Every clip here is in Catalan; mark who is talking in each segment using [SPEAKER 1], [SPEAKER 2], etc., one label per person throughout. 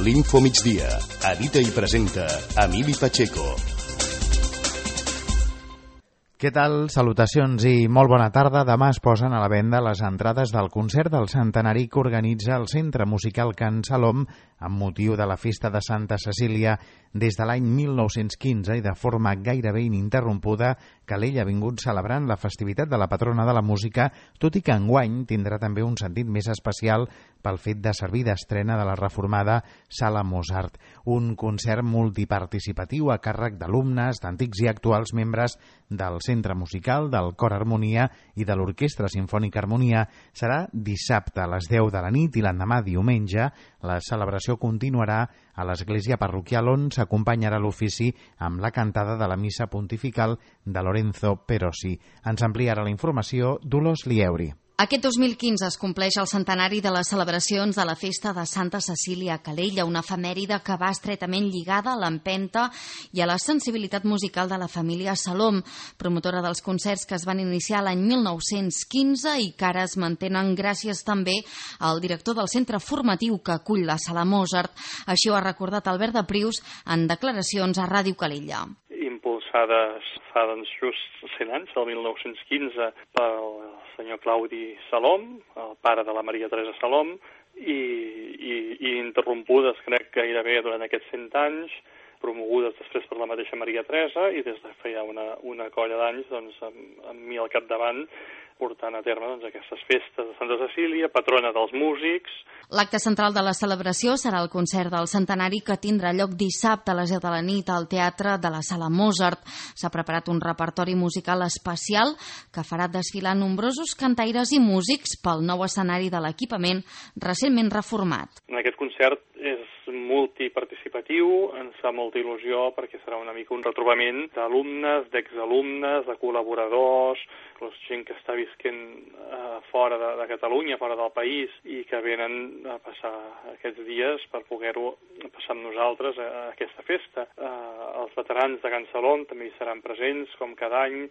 [SPEAKER 1] L'Info Migdia. Edita i presenta Emili Pacheco.
[SPEAKER 2] Què tal? Salutacions i molt bona tarda. Demà es posen a la venda les entrades del concert del centenari que organitza el Centre Musical Can Salom amb motiu de la festa de Santa Cecília des de l'any 1915 i de forma gairebé ininterrompuda. Calella ha vingut celebrant la festivitat de la patrona de la música, tot i que enguany tindrà també un sentit més especial pel fet de servir d'estrena de la reformada Sala Mozart. Un concert multiparticipatiu a càrrec d'alumnes, d'antics i actuals membres del Centre Musical, del Cor Harmonia i de l'Orquestra Simfònica Harmonia. Serà dissabte a les 10 de la nit i l'endemà diumenge. La celebració continuarà a l'església parroquial on s'acompanyarà l'ofici amb la cantada de la missa pontifical de Lorenzo Perosi. Ens ampliarà la informació Dolors Lieuri.
[SPEAKER 3] Aquest 2015 es compleix el centenari de les celebracions de la festa de Santa Cecília a Calella, una efemèride que va estretament lligada a l'empenta i a la sensibilitat musical de la família Salom, promotora dels concerts que es van iniciar l'any 1915 i que ara es mantenen gràcies també al director del centre formatiu que acull la Sala Mozart. Així ho ha recordat Albert de Prius en declaracions a Ràdio Calella.
[SPEAKER 4] Impulsades fa just 100 anys, el 1915, pel senyor Claudi Salom, el pare de la Maria Teresa Salom, i interrompudes, crec, gairebé durant aquests 100 anys, promogudes després per la mateixa Maria Teresa, i des de feia una colla d'anys, doncs, amb mi al capdavant, portant a terme aquestes festes de Santa Cecília, patrona dels músics.
[SPEAKER 3] L'acte central de la celebració serà el concert del centenari que tindrà lloc dissabte a les 10 de la nit al Teatre de la Sala Mozart. S'ha preparat un repertori musical especial que farà desfilar nombrosos cantaires i músics pel nou escenari de l'equipament recentment reformat.
[SPEAKER 4] En aquest concert és multiparticipatiu, ens fa molta il·lusió perquè serà una mica un retrobament d'alumnes, d'exalumnes, de col·laboradors, gent que està visquent fora de Catalunya, fora del país, i que venen a passar aquests dies per poder-ho passar amb nosaltres a aquesta festa. Els veterans de Can Salom també hi seran presents, com cada any,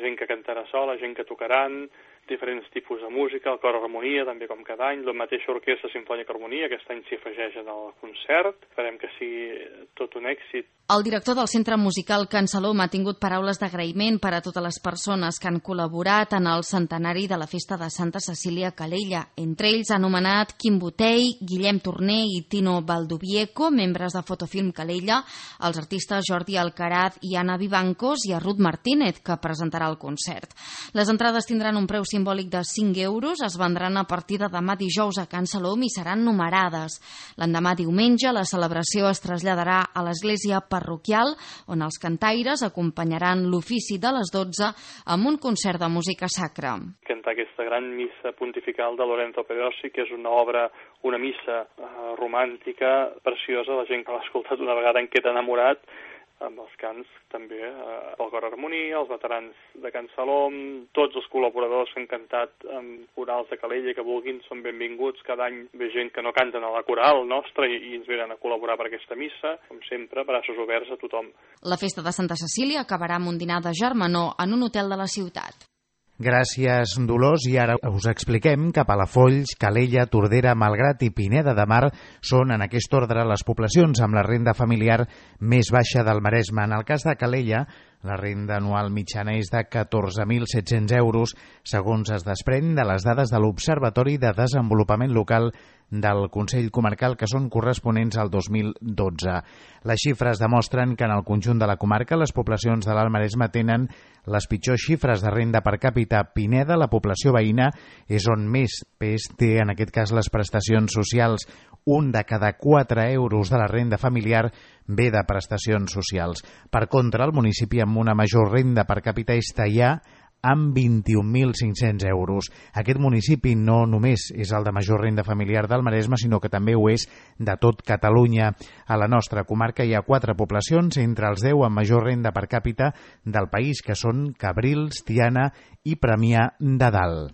[SPEAKER 4] gent que cantarà sola, gent que tocaran, diferents tipus de música, el Cor Harmonia, també com cada any, la mateixa Orquestra Simfònica Harmonia, aquest any s'hi afegeix en el concert, esperem que sigui tot un èxit.
[SPEAKER 3] El director del Centre Musical Can Salom ha tingut paraules d'agraïment per a totes les persones que han col·laborat en el centenari de la festa de Santa Cecília a Calella. Entre ells ha anomenat Quim Botei, Guillem Torner i Tino Valdovieco, membres de Fotofilm Calella, els artistes Jordi Alcaraz i Anna Vivancos i a Ruth Martínez, que presentarà el concert. Les entrades tindran un preu simbòlic de 5 euros, es vendran a partir de demà dijous a Can Salom i seran numerades. L'endemà diumenge la celebració es traslladarà a l'església parroquial, on els cantaires acompanyaran l'ofici de les 12 amb un concert de música sacra.
[SPEAKER 4] Cantar aquesta gran missa pontifical de Lorenzo Perosi, que és una obra, una missa romàntica, preciosa, la gent que l'ha escoltat una vegada en queda enamorat, amb els cants també, el Cor Harmonia, els veterans de Can Salom, tots els col·laboradors que han cantat amb corals de Calella que vulguin són benvinguts. Cada any ve gent que no canten a la coral nostra i ens venen a col·laborar per aquesta missa. Com sempre, braços oberts a tothom.
[SPEAKER 3] La festa de Santa Cecília acabarà amb un dinar de germanor en un hotel de la ciutat.
[SPEAKER 2] Gràcies, Dolors. I ara us expliquem que Palafolls, Calella, Tordera, Malgrat i Pineda de Mar són en aquest ordre les poblacions amb la renda familiar més baixa del Maresme. En el cas de Calella, la renda anual mitjana és de 14.700 euros, segons es desprèn de les dades de l'Observatori de Desenvolupament Local del Consell Comarcal, que són corresponents al 2012. Les xifres demostren que en el conjunt de la comarca les poblacions de l'Alt Maresme tenen les pitjors xifres de renda per càpita. Pineda, la població veïna, és on més pes té en aquest cas les prestacions socials. 1 de cada 4 euros de la renda familiar ve de prestacions socials. Per contra, el municipi amb una major renda per càpita és Teià, amb 21.500 euros. Aquest municipi no només és el de major renda familiar del Maresme, sinó que també ho és de tot Catalunya. A la nostra comarca hi ha 4 poblacions entre els 10 amb major renda per càpita del país, que són Cabrils, Tiana i Premià de Dalt.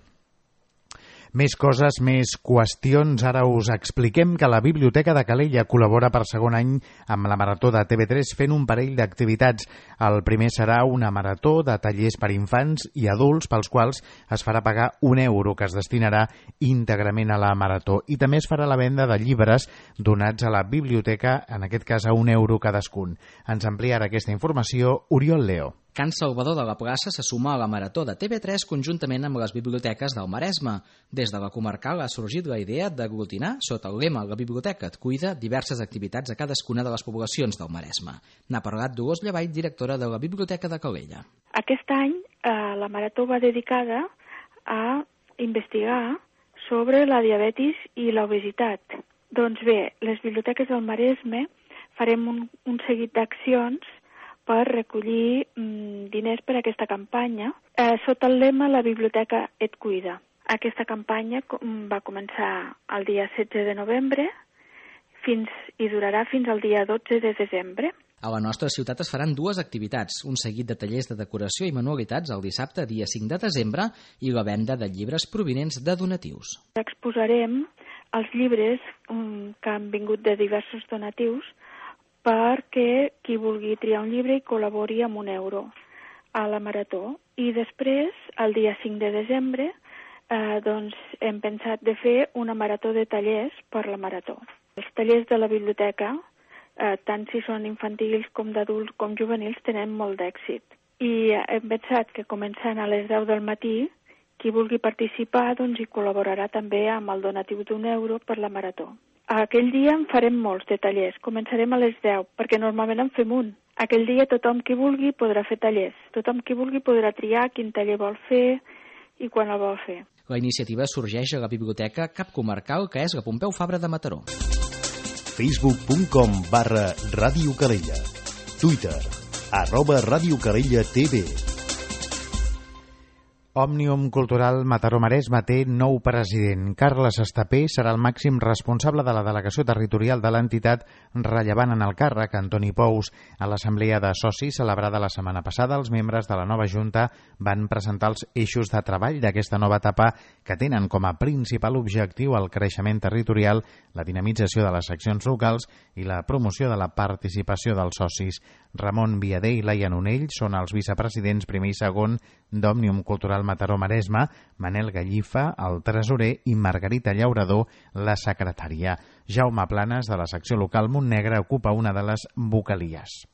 [SPEAKER 2] Més coses, més qüestions. Ara us expliquem que la Biblioteca de Calella col·labora per segon any amb la Marató de TV3 fent un parell d'activitats. El primer serà una marató de tallers per infants i adults pels quals es farà pagar €1 que es destinarà íntegrament a la marató. I també es farà la venda de llibres donats a la biblioteca, en aquest cas a €1 cadascun. Ens ampliarà aquesta informació Oriol Leo.
[SPEAKER 5] Can Salvador de la Plaça se suma a la Marató de TV3 conjuntament amb les biblioteques del Maresme. Des de la comarcal ha sorgit la idea d'aglutinar, sota el lema La biblioteca et cuida, diverses activitats a cadascuna de les poblacions del Maresme. N'ha parlat Dolors Llavall, directora de la Biblioteca de Calella.
[SPEAKER 6] Aquest any la Marató va dedicada a investigar sobre la diabetis i l'obesitat. Doncs bé, les biblioteques del Maresme farem un seguit d'accions per recollir diners per a aquesta campanya sota el lema La biblioteca et cuida. Aquesta campanya va començar el dia 16 de novembre i durarà fins al dia 12 de desembre.
[SPEAKER 5] A la nostra ciutat es faran dues activitats, un seguit de tallers de decoració i manualitats el dissabte, dia 5 de desembre, i la venda de llibres provinents de donatius.
[SPEAKER 6] Exposarem els llibres que han vingut de diversos donatius perquè qui vulgui triar un llibre i col·labori amb €1 a la Marató. I després, el dia 5 de desembre, doncs hem pensat de fer una marató de tallers per la Marató. Els tallers de la biblioteca, tant si són infantils com d'adults com juvenils, tenen molt d'èxit. I hem pensat que començant a les 10 del matí, qui vulgui participar doncs hi col·laborarà també amb el donatiu d'1 per la Marató. Aquell dia en farem molts de tallers. Començarem a les 10, perquè normalment en fem un. Aquell dia tothom qui vulgui podrà fer tallers. Tothom qui vulgui podrà triar quin taller vol fer i quan el vol fer.
[SPEAKER 5] La iniciativa sorgeix a la Biblioteca Cap Comarcal, que és la Pompeu Fabra de Mataró.
[SPEAKER 1] Facebook.com/Ràdio Calella. Twitter @RadioCalellaTV.
[SPEAKER 2] Òmnium Cultural Mataró-Maresme té nou president. Carles Estapé serà el màxim responsable de la delegació territorial de l'entitat, rellevant en el càrrec Antoni Pous. A l'assemblea de socis celebrada la setmana passada, els membres de la nova Junta van presentar els eixos de treball d'aquesta nova etapa que tenen com a principal objectiu el creixement territorial, la dinamització de les seccions locals i la promoció de la participació dels socis. Ramon Viader i Laia Nonell són els vicepresidents primer i segon d'Òmnium Cultural Mataró-Maresme, Manel Gallifa, el tresorer, i Margarita Llaurador, la secretària. Jaume Planes, de la secció local Montnegre, ocupa una de les vocalies.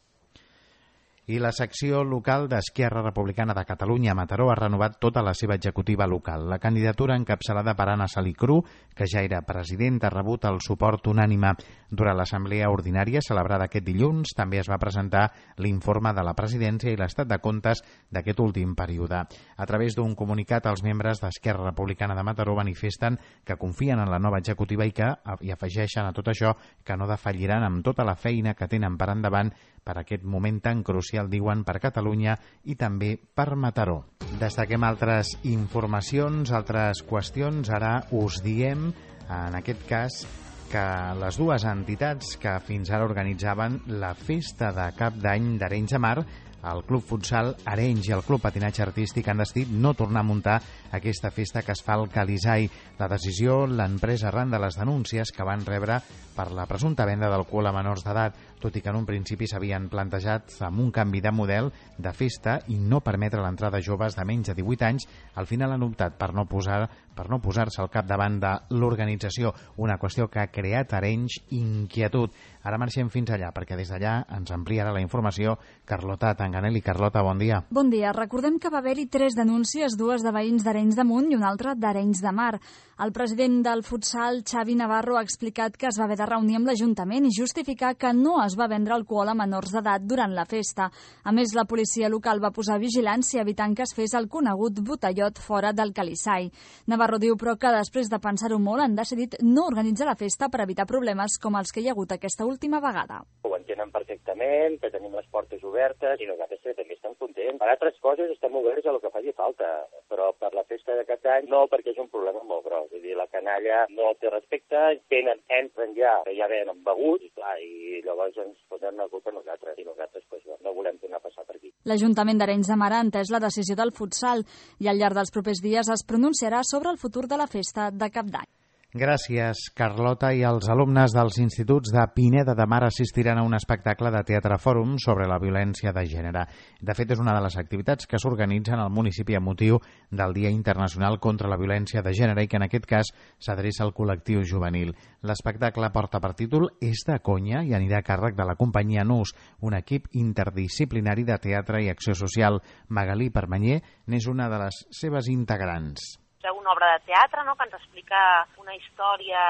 [SPEAKER 2] I la secció local d'Esquerra Republicana de Catalunya a Mataró ha renovat tota la seva executiva local. La candidatura encapçalada per Anna Salicru, que ja era president, ha rebut el suport unànime. Durant l'assemblea ordinària celebrada aquest dilluns també es va presentar l'informe de la presidència i l'estat de comptes d'aquest últim període. A través d'un comunicat, els membres d'Esquerra Republicana de Mataró manifesten que confien en la nova executiva i afegeixen a tot això que no defalliran amb tota la feina que tenen per endavant per aquest moment tan crucial, diuen, per Catalunya i també per Mataró. Destaquem altres informacions, altres qüestions. Ara us diem, en aquest cas, que les dues entitats que fins ara organitzaven la festa de cap d'any d'Arenys de Mar, el Club Futsal Arenys i el Club Patinatge Artístic, han decidit no tornar a muntar aquesta festa que es fa al Calisai. La decisió l'han pres arran de les denúncies que van rebre per la presumpta venda d'alcohol a menors d'edat, tot i que en un principi s'havien plantejat amb un canvi de model de festa i no permetre l'entrada de joves de menys de 18 anys, al final han optat per no posar-se al capdavant de l'organització, una qüestió que ha creat a Arenys inquietud. Ara marxem fins allà, perquè des d'allà ens ampliarà la informació Carlota Tanganelli. Carlota, bon dia.
[SPEAKER 7] Bon dia. Recordem que va haver-hi 3 denúncies, dues de veïns d'Arenys de Munt i una altra d'Arenys de Mar. El president del futsal, Xavi Navarro, ha explicat que es va haver de reunir amb l'Ajuntament i justificar que no es va vendre alcohol a menors d'edat durant la festa. A més, la policia local va posar vigilància evitant que es fes el conegut botellot fora del Calisai. Navarro diu, però, que després de pensar-ho molt han decidit no organitzar la festa per evitar problemes com els que hi ha hagut aquesta última vegada.
[SPEAKER 8] Ho entenen perfectament, que tenim les portes obertes i nosaltres també estem contents. Per altres coses estem oberts a lo que faci falta, però per la festa de cap any no, perquè és un problema molt gros. És a dir, la canalla no té respecte, entren ja venen beguts, i llavors ens posen la culpa a nosaltres, i nosaltres no volem tornar a passar per aquí.
[SPEAKER 7] L'Ajuntament d'Arenys de Mar ha entès la decisió del futsal i al llarg dels propers dies es pronunciarà sobre el futur de la festa de Cap d'Any.
[SPEAKER 2] Gràcies, Carlota. I els alumnes dels instituts de Pineda de Mar assistiran a un espectacle de teatre fòrum sobre la violència de gènere. De fet, és una de les activitats que s'organitzen al municipi amb motiu del Dia Internacional contra la Violència de Gènere i que en aquest cas s'adreça al col·lectiu juvenil. L'espectacle porta per títol És de conya i anirà a càrrec de la companyia NUS, un equip interdisciplinari de teatre i acció social. Magalí Permanyer n'és una de les seves integrants.
[SPEAKER 9] Una obra de teatre, no?, que ens explica una història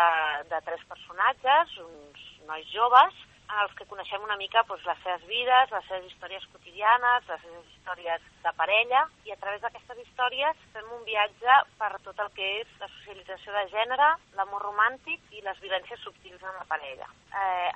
[SPEAKER 9] de 3 personatges, uns nois joves, en els que coneixem una mica les seves vides, les seves històries quotidianes, les seves històries de parella, i a través d'aquestes històries fem un viatge per tot el que és la socialització de gènere, l'amor romàntic i les violències subtils en la parella.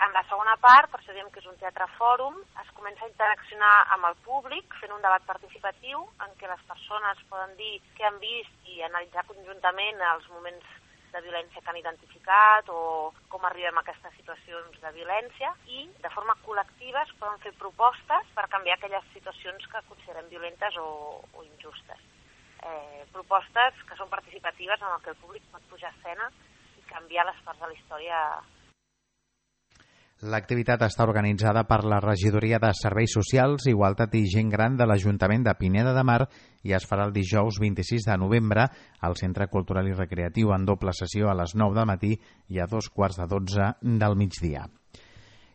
[SPEAKER 9] En la segona part, per això diem que és un teatre fòrum, es comença a interaccionar amb el públic, fent un debat participatiu en què les persones poden dir què han vist i analitzar conjuntament els moments de violència que han identificat o com arribem a aquestes situacions de violència, i de forma col·lectiva es poden fer propostes per canviar aquelles situacions que considerem violentes o injustes. Propostes que són participatives en què el públic pot pujar a escena i canviar les parts de la història.
[SPEAKER 2] L'activitat està organitzada per la Regidoria de Serveis Socials, Igualtat i Gent Gran de l'Ajuntament de Pineda de Mar i es farà el dijous 26 de novembre al Centre Cultural i Recreatiu en doble sessió a les 9 del matí i a 2:15 del migdia.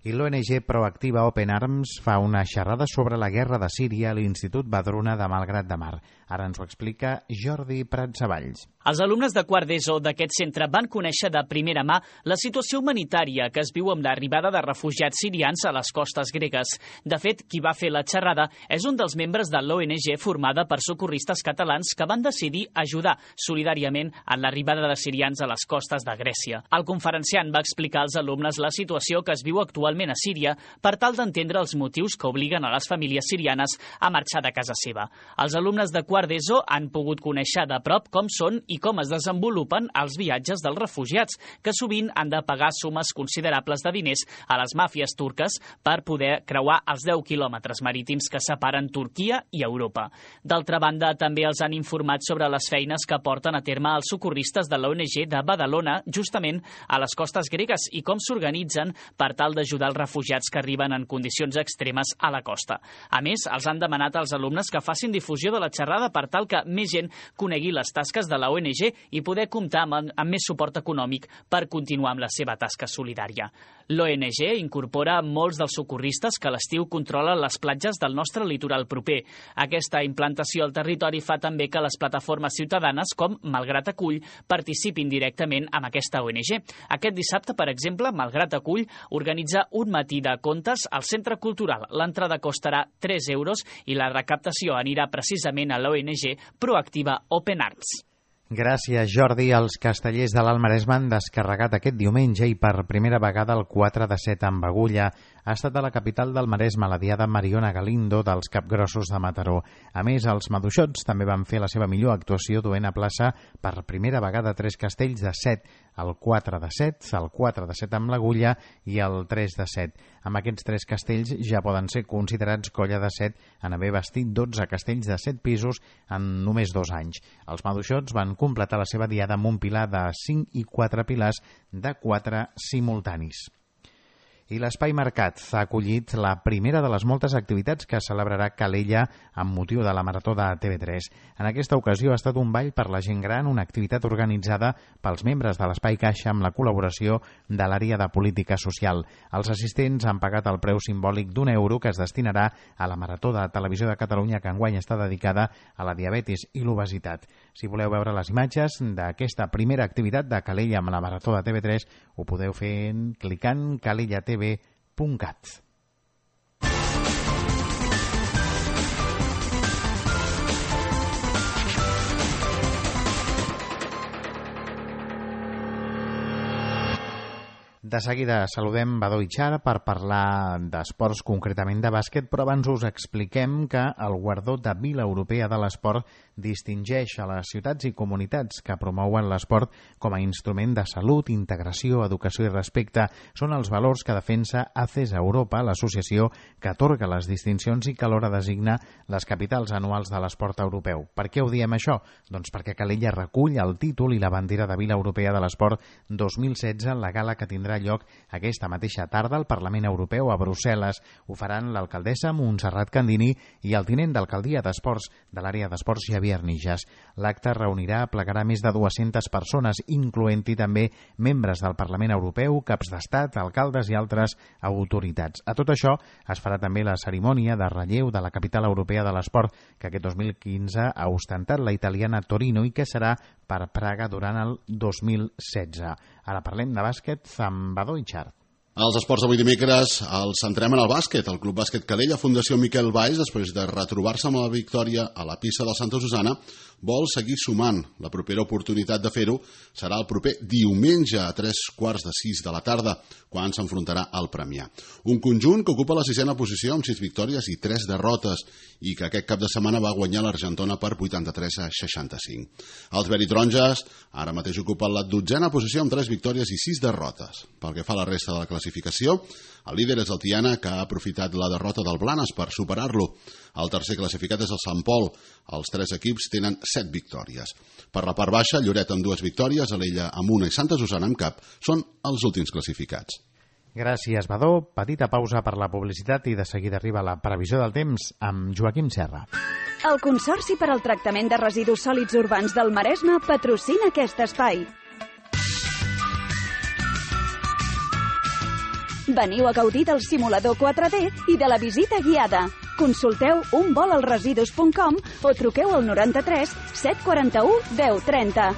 [SPEAKER 2] I l'ONG Proactiva Open Arms fa una xerrada sobre la guerra de Síria a l'Institut Badruna de Malgrat de Mar. Ara ens ho explica Jordi Pratsavalls.
[SPEAKER 10] Els alumnes de quart d'ESO d'aquest centre van conèixer de primera mà la situació humanitària que es viu amb l'arribada de refugiats sirians a les costes gregues. De fet, qui va fer la xerrada és un dels membres de l'ONG formada per socorristes catalans que van decidir ajudar solidàriament en l'arribada de sirians a les costes de Grècia. El conferenciant va explicar als alumnes la situació que es viu actualment a Síria per tal d'entendre els motius que obliguen a les famílies sirianes a marxar de casa seva. Els alumnes de quart d'ESO han pogut conèixer de prop com són i com es desenvolupen els viatges dels refugiats, que sovint han de pagar sumes considerables de diners a les màfies turques per poder creuar els 10 quilòmetres marítims que separen Turquia i Europa. D'altra banda, també els han informat sobre les feines que porten a terme els socorristes de l'ONG de Badalona, justament a les costes gregues, i com s'organitzen per tal d'ajudar els refugiats que arriben en condicions extremes a la costa. A més, els han demanat als alumnes que facin difusió de la xerrada per tal que més gent conegui les tasques de la ONG i poder comptar amb més suport econòmic per continuar amb la seva tasca solidària. L'ONG incorpora molts dels socorristes que a l'estiu controlen les platges del nostre litoral proper. Aquesta implantació al territori fa també que les plataformes ciutadanes com Malgrat Acull participin directament amb aquesta ONG. Aquest dissabte, per exemple, Malgrat Acull organitza un matí de contes al Centre Cultural. L'entrada costarà 3 euros i la recaptació anirà precisament a l'ONG Proactiva Open Arms.
[SPEAKER 2] Gràcies, Jordi. Els castellers de l'Alt Maresme han descarregat aquest diumenge i per primera vegada el 4 de 7 amb Agulla. Ha estat a la capital del Maresme la diada Mariona Galindo dels Capgrossos de Mataró. A més, els maduixots també van fer la seva millor actuació duent a plaça per primera vegada 3 castells de 7, el 4 de 7, el 4 de 7 amb l'Agulla i el 3 de 7. Amb aquests 3 castells ja poden ser considerats colla de 7 en haver vestit 12 castells de 7 pisos en només 2 anys. Els maduixots van completar la seva diada amb un pilar de 5 i 4 pilars de 4 simultanis. I l'Espai Mercat ha acollit la primera de les moltes activitats que celebrarà Calella amb motiu de la Marató de TV3. En aquesta ocasió ha estat un ball per la gent gran, una activitat organitzada pels membres de l'Espai Caixa amb la col·laboració de l'àrea de política social. Els assistents han pagat el preu simbòlic d'1 € que es destinarà a la Marató de Televisió de Catalunya que enguany està dedicada a la diabetis i l'obesitat. Si voleu veure les imatges d'aquesta primera activitat de Calella amb la Marató de TV3, ho podeu fer clicant calellatv.cat. De seguida saludem Badó i Char per parlar d'esports, concretament de bàsquet, però abans us expliquem que el guardó de Vila Europea de l'Esport distingeix a les ciutats i comunitats que promouen l'esport com a instrument de salut, integració, educació i respecte. Són els valors que defensa ACES Europa, l'associació que atorga les distincions i que alhora designa les capitals anuals de l'esport europeu. Per què ho diem això? Doncs perquè Calella recull el títol i la bandera de Vila Europea de l'Esport 2016, la gala que tindrà lloc aquesta mateixa tarda al Parlament Europeu a Brussel·les. Ho faran l'alcaldessa Montserrat Candini i el tinent d'alcaldia d'Esports de l'àrea d'Esports Javier Nijas. L'acte plegarà més de 200 persones, incloent-hi també membres del Parlament Europeu, caps d'estat, alcaldes i altres autoritats. A tot això es farà també la cerimònia de relleu de la capital europea de l'esport que aquest 2015 ha ostentat la italiana Torino i que serà per Praga durant el 2016. Ara parlem de bàsquet amb Badó i Char.
[SPEAKER 11] Els esports d'avui dimecres els centrem en el bàsquet. El Club Bàsquet Calella, Fundació Miquel Valls, després de retrobar-se amb la victòria a la pista de Santa Susana, vol seguir sumant. La propera oportunitat de fer-ho serà el proper diumenge a 3:45 de la tarda, quan s'enfrontarà al Premià. Un conjunt que ocupa la 6ª posició amb 6 victòries i 3 derrotes i que aquest cap de setmana va guanyar l'Argentona per 83-65. Els veritaronges ara mateix ocupen la 12ª posició amb 3 victòries i 6 derrotes. Pel que fa a la resta de la classificació, el líder és el Tiana, que ha aprofitat la derrota del Blanes per superar-lo. El tercer classificat és el Sant Pol. Els 3 equips tenen 7 victòries. Per la part baixa, Lloret amb 2 victòries, Alella amb 1 i Santa Susana amb cap són els últims classificats.
[SPEAKER 2] Gràcies, Badó. Petita pausa per la publicitat i de seguida arriba la previsió del temps amb Joaquim Serra.
[SPEAKER 12] El Consorci per al Tractament de Residus Sòlids Urbans del Maresme patrocina aquest espai. Veniu a gaudir del simulador 4D i de la visita guiada. Consulteu unvolalresidus.com o truqueu al 93 741 1030.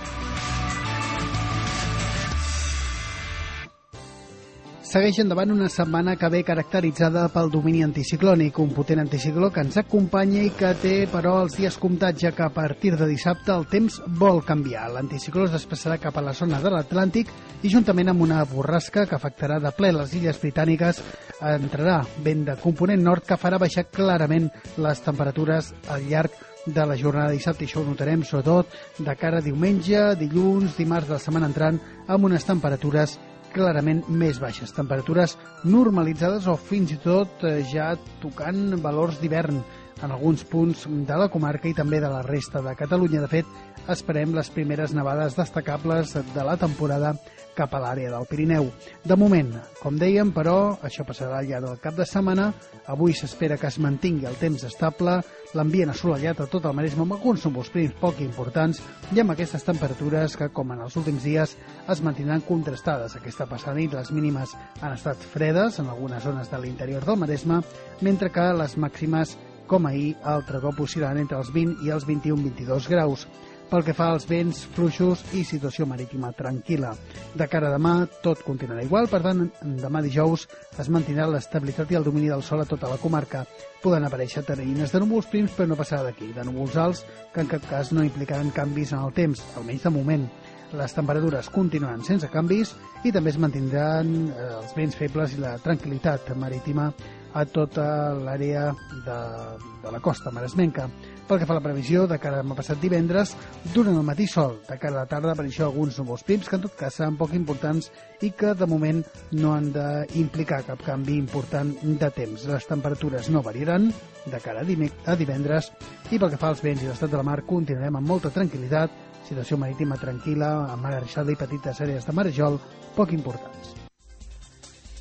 [SPEAKER 13] Segueix endavant una setmana que ve caracteritzada pel domini anticiclònic, un potent anticicló que ens acompanya i que té, però, els dies comptats, ja que a partir de dissabte el temps vol canviar. L'anticicló es desplaçarà cap a la zona de l'Atlàntic i, juntament amb una borrasca que afectarà de ple les illes britàniques, entrarà vent de component nord que farà baixar clarament les temperatures al llarg de la jornada de dissabte. I això ho notarem sobretot de cara a diumenge, dilluns, dimarts de la setmana entrant, amb unes temperatures clarament més baixes, temperatures normalitzades o fins i tot ja tocant valors d'hivern en alguns punts de la comarca i també de la resta de Catalunya. De fet, esperem les primeres nevades destacables de la temporada cap a l'àrea del Pirineu. De moment, com dèiem, però, això passarà al llarg del cap de setmana. Avui s'espera que es mantingui el temps estable, l'ambient assolellat a tot el Maresme amb alguns núvols prims poc importants i amb aquestes temperatures que, com en els últims dies, es mantindran contrastades. Aquesta passada nit les mínimes han estat fredes en algunes zones de l'interior del Maresme, mentre que les màximes, com ahir, altre cop oscil·laran entre els 20 i els 21-22 graus. Pel que fa als vents fluixos i situació marítima tranquil·la. De cara a demà, tot continuarà igual, per tant, demà dijous es mantindrà l'estabilitat i el domini del sol a tota la comarca. Poden aparèixer teranyines de núvols prims, però no passarà d'aquí, de núvols alts, que en cap cas no implicaran canvis en el temps, almenys de moment. Les temperatures continuaran sense canvis i també es mantindran els vents febles i la tranquil·litat marítima a tota l'àrea de la costa maresmenca. Pel que fa a la previsió, de cara a demà passat divendres, durant el matí sol, de cara a la tarda apareixen alguns núvols prims que en tot cas seran poc importants i que de moment no han d'implicar cap canvi important de temps. Les temperatures no variaran de cara a divendres i pel que fa als vents i l'estat de la mar continuarem amb molta tranquil·litat, situació marítima tranquil·la, amb mar arreixada i petites àrees de marejol poc importants.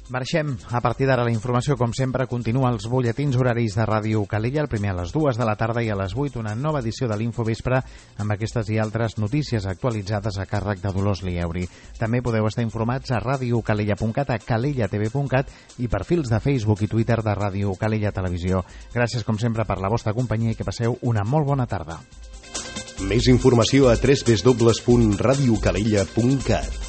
[SPEAKER 2] Marxem. A partir d'ara la informació, com sempre, continua als butlletins horaris de Ràdio Calella, el primer a les 2 de la tarda i a les 8 una nova edició de l'Infovespre amb aquestes i altres notícies actualitzades a càrrec de Dolors Lieuri. També podeu estar informats a radiocalella.cat, a calellatv.cat i perfils de Facebook i Twitter de Ràdio Calella Televisió. Gràcies, com sempre, per la vostra companyia i que passeu una molt bona tarda.
[SPEAKER 1] Més informació a www.radiocalella.cat.